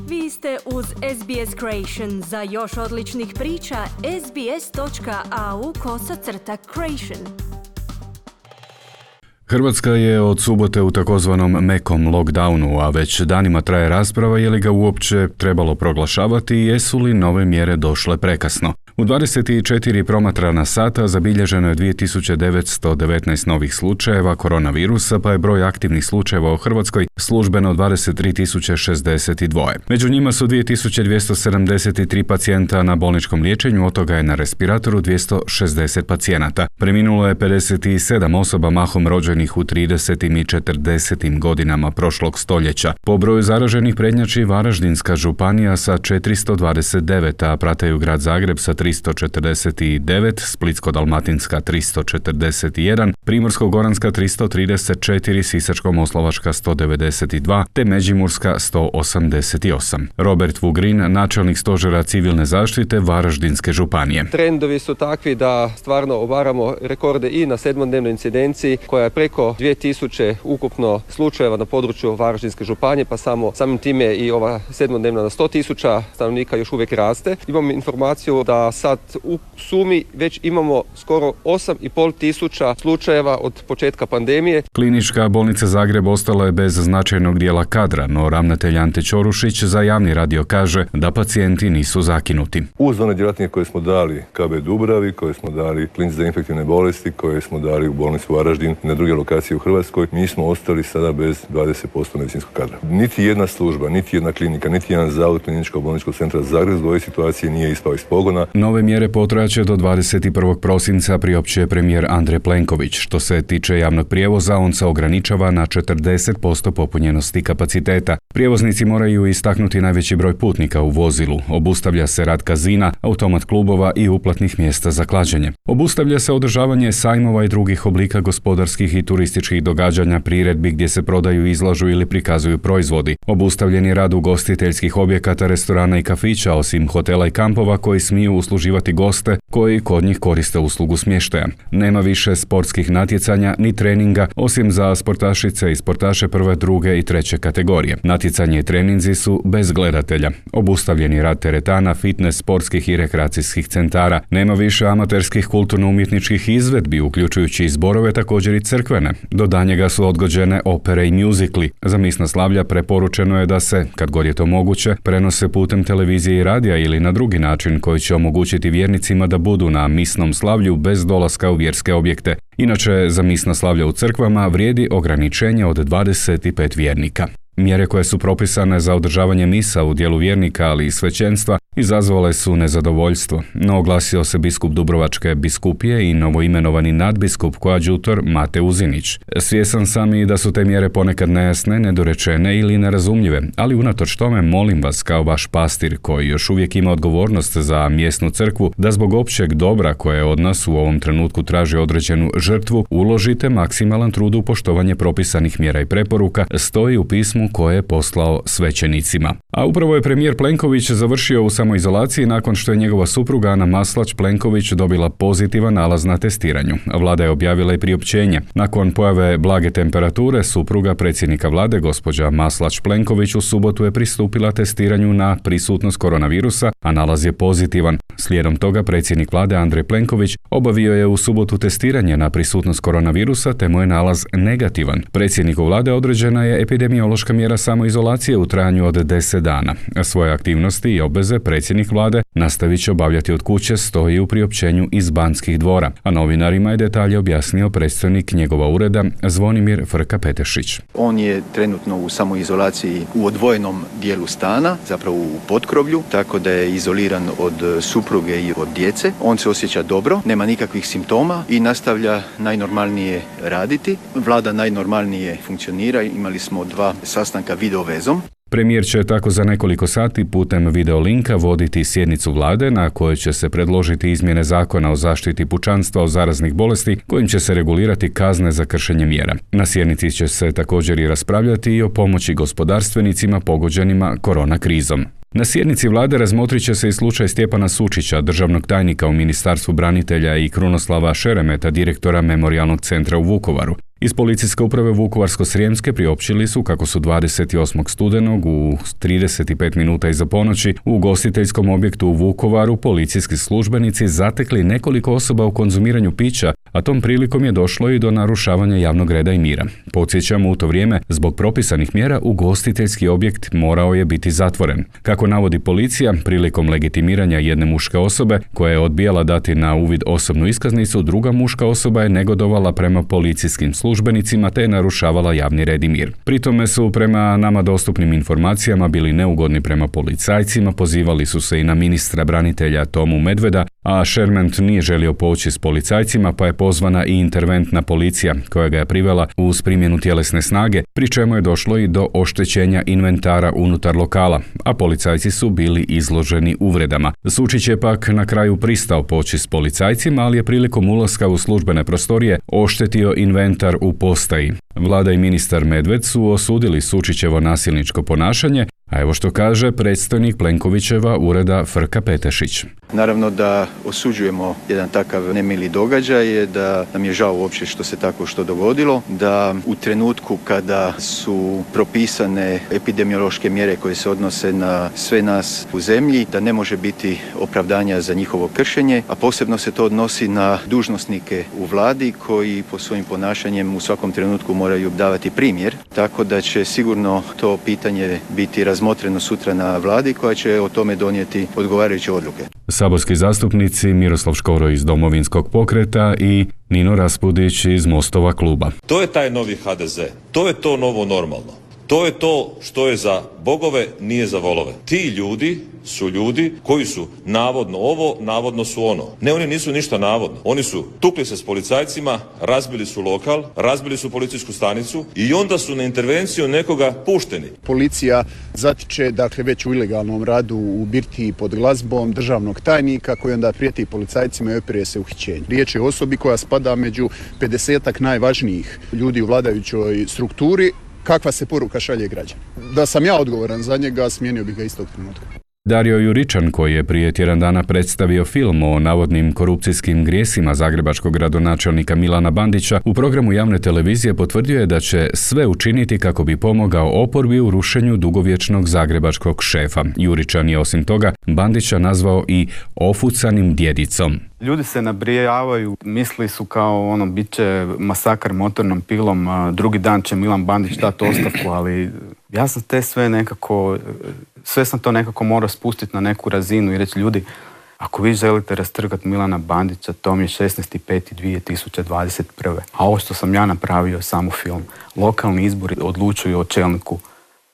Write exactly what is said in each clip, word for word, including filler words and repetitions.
Vi ste uz S B S Creation. Za još odličnih priča, sbs.au kosacrta creation. Hrvatska je od subote u takozvanom mekom lockdownu, a već danima traje rasprava je li ga uopće trebalo proglašavati i jesu li nove mjere došle prekasno. U dvadeset četiri promatrana sata zabilježeno je dvije tisuće devetsto devetnaest novih slučajeva koronavirusa, pa je broj aktivnih slučajeva u Hrvatskoj službeno dvadeset tri tisuće šezdeset dva. Među njima su dvije tisuće dvjesto sedamdeset tri pacijenta na bolničkom liječenju, od toga je na respiratoru dvjesto šezdeset pacijenata. Preminulo je pedeset sedam osoba, mahom rođenih u tridesetim i četrdesetim godinama prošlog stoljeća. Po broju zaraženih prednjači Varaždinska županija sa četiristo dvadeset devet, a prataju grad Zagreb sa tristo četrdeset devet, Splitsko-dalmatinska tristo četrdeset jedan, Primorsko-goranska tristo trideset četiri, Sisačko-moslavačka sto devedeset dva te Međimurska sto osamdeset osam. Robert Vugrin, načelnik stožera civilne zaštite Varaždinske županije. Trendovi su takvi da stvarno obaramo rekorde i na sedmodnevnoj incidenciji koja je preko dvije tisuće ukupno slučajeva na području Varaždinske županije, pa samo samim time i ova sedmodnevna na sto tisuća stanovnika još uvijek raste. Imamo informaciju da sad u sumi već imamo skoro osam i pol tisuća slučajeva od početka pandemije. Klinička bolnica Zagreb ostala je bez značajnog dijela kadra, no ravnatelj Ante Ćorušić za javni radio kaže da pacijenti nisu zakinuti. Uz one djelatnike koje smo dali K B Dubravi, koje smo dali klinici za infektivne bolesti, koje smo dali u bolnicu Varaždin i na druge lokacije u Hrvatskoj, mi smo ostali sada bez dvadeset posto medicinskog kadra. Niti jedna služba, niti jedna klinika, niti jedan zavod kliničkog bolničkog centra Zagreb zbog ove situacije nije ispao iz pogona. Nove mjere potraće do dvadeset prvog prosinca priopćuje premijer Andrej Plenković. Što se tiče javnog prijevoza, on se ograničava na četrdeset posto popunjenosti kapaciteta. Prijevoznici moraju istaknuti najveći broj putnika u vozilu. Obustavlja se rad kazina, automat klubova i uplatnih mjesta za klađenje. Obustavlja se održavanje sajmova i drugih oblika gospodarskih i turističkih događanja, priredbi gdje se prodaju, izlažu ili prikazuju proizvodi. Obustavljen je rad ugostiteljskih objekata, restorana i kafića, osim hotela i kampova koji smiju usluživati goste koji kod njih koriste uslugu smještaja. Nema više sportskih natjecanja ni treninga, osim za sportašice i sportaše prve, druge i treće kategorije. Natjecanje i treninzi su bez gledatelja. Obustavljen je rad teretana, fitness, sportskih i rekreacijskih centara. Nema više amaterskih kulturno-umjetničkih izvedbi, uključujući i zborove, također i crkvene. Do danjega su odgođene opere i mjuzikli. Za misna slavlja preporučeno je da se, kad god je to moguće, prenose putem televizije i radija ili na drugi način koji će omogućiti vjernicima da budu na misnom slavlju bez dolaska u vjerske objekte. Inače, za misna slavlja u crkvama vrijedi ograničenje od dvadeset pet vjernika. Mjere koje su propisane za održavanje misa u dijelu vjernika, ali i svećenstva, izazvale su nezadovoljstvo, no oglasio se biskup Dubrovačke biskupije i novoimenovani nadbiskup koadjutor Mate Uzinić. Svjesan sam i da su te mjere ponekad nejasne, nedorečene ili nerazumljive, ali unatoč tome molim vas kao vaš pastir koji još uvijek ima odgovornost za mjesnu crkvu da zbog općeg dobra koje od nas u ovom trenutku traži određenu žrtvu, uložite maksimalan trud u poštovanje propisanih mjera i preporuka, stoji u pismu koje je poslao svećenicima. A upravo je premijer Plenković završio u samoizolaciji nakon što je njegova supruga Ana Maslać Plenković dobila pozitivan nalaz na testiranju. Vlada je objavila i priopćenje. Nakon pojave blage temperature, supruga predsjednika vlade, gospođa Maslać Plenković, u subotu je pristupila testiranju na prisutnost koronavirusa, a nalaz je pozitivan. Slijedom toga predsjednik vlade Andrej Plenković obavio je u subotu testiranje na prisutnost koronavirusa, te mu je nalaz negativan. Predsjedniku vlade određena je epidemiološka mjera samoizolacije u trajanju od deset dana. Svoje aktivnosti i obveze predsjednik vlade nastavit će obavljati od kuće, stoji u priopćenju iz Banskih dvora, a novinarima je detalje objasnio predstojnik njegova ureda Zvonimir Frka-Petešić. On je trenutno u samoizolaciji u odvojenom dijelu stana, zapravo u potkrovlju, tako da je izoliran od supruge i od djece. On se osjeća dobro, nema nikakvih simptoma i nastavlja najnormalnije raditi. Vlada najnormalnije funkcionira, imali smo dva sastanka video vezom. Premijer će tako za nekoliko sati putem videolinka voditi sjednicu vlade na kojoj će se predložiti izmjene zakona o zaštiti pučanstva od zaraznih bolesti kojim će se regulirati kazne za kršenje mjera. Na sjednici će se također i raspravljati i o pomoći gospodarstvenicima pogođenima korona krizom. Na sjednici vlade razmotrit će se i slučaj Stjepana Sučića, državnog tajnika u Ministarstvu branitelja, i Krunoslava Šeremeta, direktora Memorijalnog centra u Vukovaru. Iz Policijske uprave Vukovarsko-srijemske priopćili su kako su dvadeset osmog studenog u trideset pet minuta iza ponoći u ugostiteljskom objektu u Vukovaru policijski službenici zatekli nekoliko osoba u konzumiranju pića, a tom prilikom je došlo i do narušavanja javnog reda i mira. Podsjećamo, u to vrijeme, zbog propisanih mjera, ugostiteljski objekt morao je biti zatvoren. Kako navodi policija, prilikom legitimiranja jedne muške osobe koja je odbijala dati na uvid osobnu iskaznicu, druga muška osoba je negodovala prema policijskim službenicima te je narušavala javni red i mir. Pri tome su prema nama dostupnim informacijama bili neugodni prema policajcima, pozivali su se i na ministra branitelja Tomu Medveda, a Šerment nije želio poći s policajcima pa je pozvana i interventna policija koja ga je privela uz primjenu tjelesne snage, pri čemu je došlo i do oštećenja inventara unutar lokala, a policajci su bili izloženi uvredama. Sučić je pak na kraju pristao poći s policajcima, ali je prilikom ulaska u službene prostorije oštetio inventar u postaji. Vlada i ministar Medved su osudili Sučićevo nasilničko ponašanje, a evo što kaže predstojnik Plenkovićeva ureda Frka Petešić. Naravno da osuđujemo jedan takav nemili događaj, da nam je žao uopće što se tako što dogodilo, da u trenutku kada su propisane epidemiološke mjere koje se odnose na sve nas u zemlji, da ne može biti opravdanja za njihovo kršenje, a posebno se to odnosi na dužnosnike u vladi koji po svojim ponašanjem u svakom trenutku moraju davati primjer, tako da će sigurno to pitanje biti razmotreno sutra na vladi koja će o tome donijeti odgovarajuće odluke. Saborski zastupnici Miroslav Škoro iz Domovinskog pokreta i Nino Raspudić iz Mostova kluba. To je taj novi ha de ze, to je to novo normalno. To je to što je za bogove, nije za volove. Ti ljudi su ljudi koji su navodno ovo, navodno su ono. Ne, oni nisu ništa navodno. Oni su tukli se s policajcima, razbili su lokal, razbili su policijsku stanicu i onda su na intervenciju nekoga pušteni. Policija zatiče, dakle, već u ilegalnom radu u birtiji pod glazbom državnog tajnika koji onda prijeti policajcima i opire se uhićenje. Riječ je o osobi koja spada među pedesetak najvažnijih ljudi u vladajućoj strukturi. Kakva se poruka šalje građana? Da sam ja odgovoran za njega, smijenio bih ga istog trenutka. Dario Juričan, koji je prije tjedan dana predstavio film o navodnim korupcijskim grijesima zagrebačkog gradonačelnika Milana Bandića, u programu javne televizije potvrdio je da će sve učiniti kako bi pomogao oporbi u rušenju dugovječnog zagrebačkog šefa. Juričan je osim toga Bandića nazvao i ofucanim djedicom. Ljudi se nabrijavaju, misli su kao ono, bit će masakar motornom pilom, drugi dan će Milan Bandić dati ostavku, ali ja sam te sve nekako, sve sam to nekako morao spustiti na neku razinu i reći ljudi, ako vi želite rastrgati Milana Bandića, to mi je šesnaesti peti dvije tisuće dvadeset prve. A ovo što sam ja napravio, samo film, lokalni izbori odlučuju o čelniku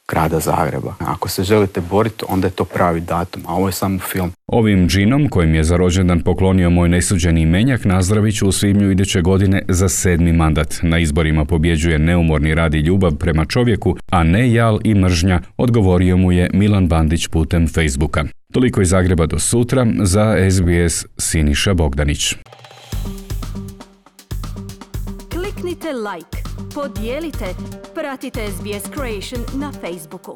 grada Zagreba. Ako se želite boriti, onda je to pravi datum, a ovo je samo film. Ovim džinom, kojim je za rođendan poklonio moj nesuđeni imenjak, nazdravit ću u svibnju iduće godine za sedmi mandat. Na izborima pobjeđuje neumorni rad i ljubav prema čovjeku, a ne jal i mržnja, odgovorio mu je Milan Bandić putem Facebooka. Toliko iz Zagreba do sutra, za es be es Siniša Bogdanić. Kliknite like, podijelite, pratite es be es Creation na Facebooku.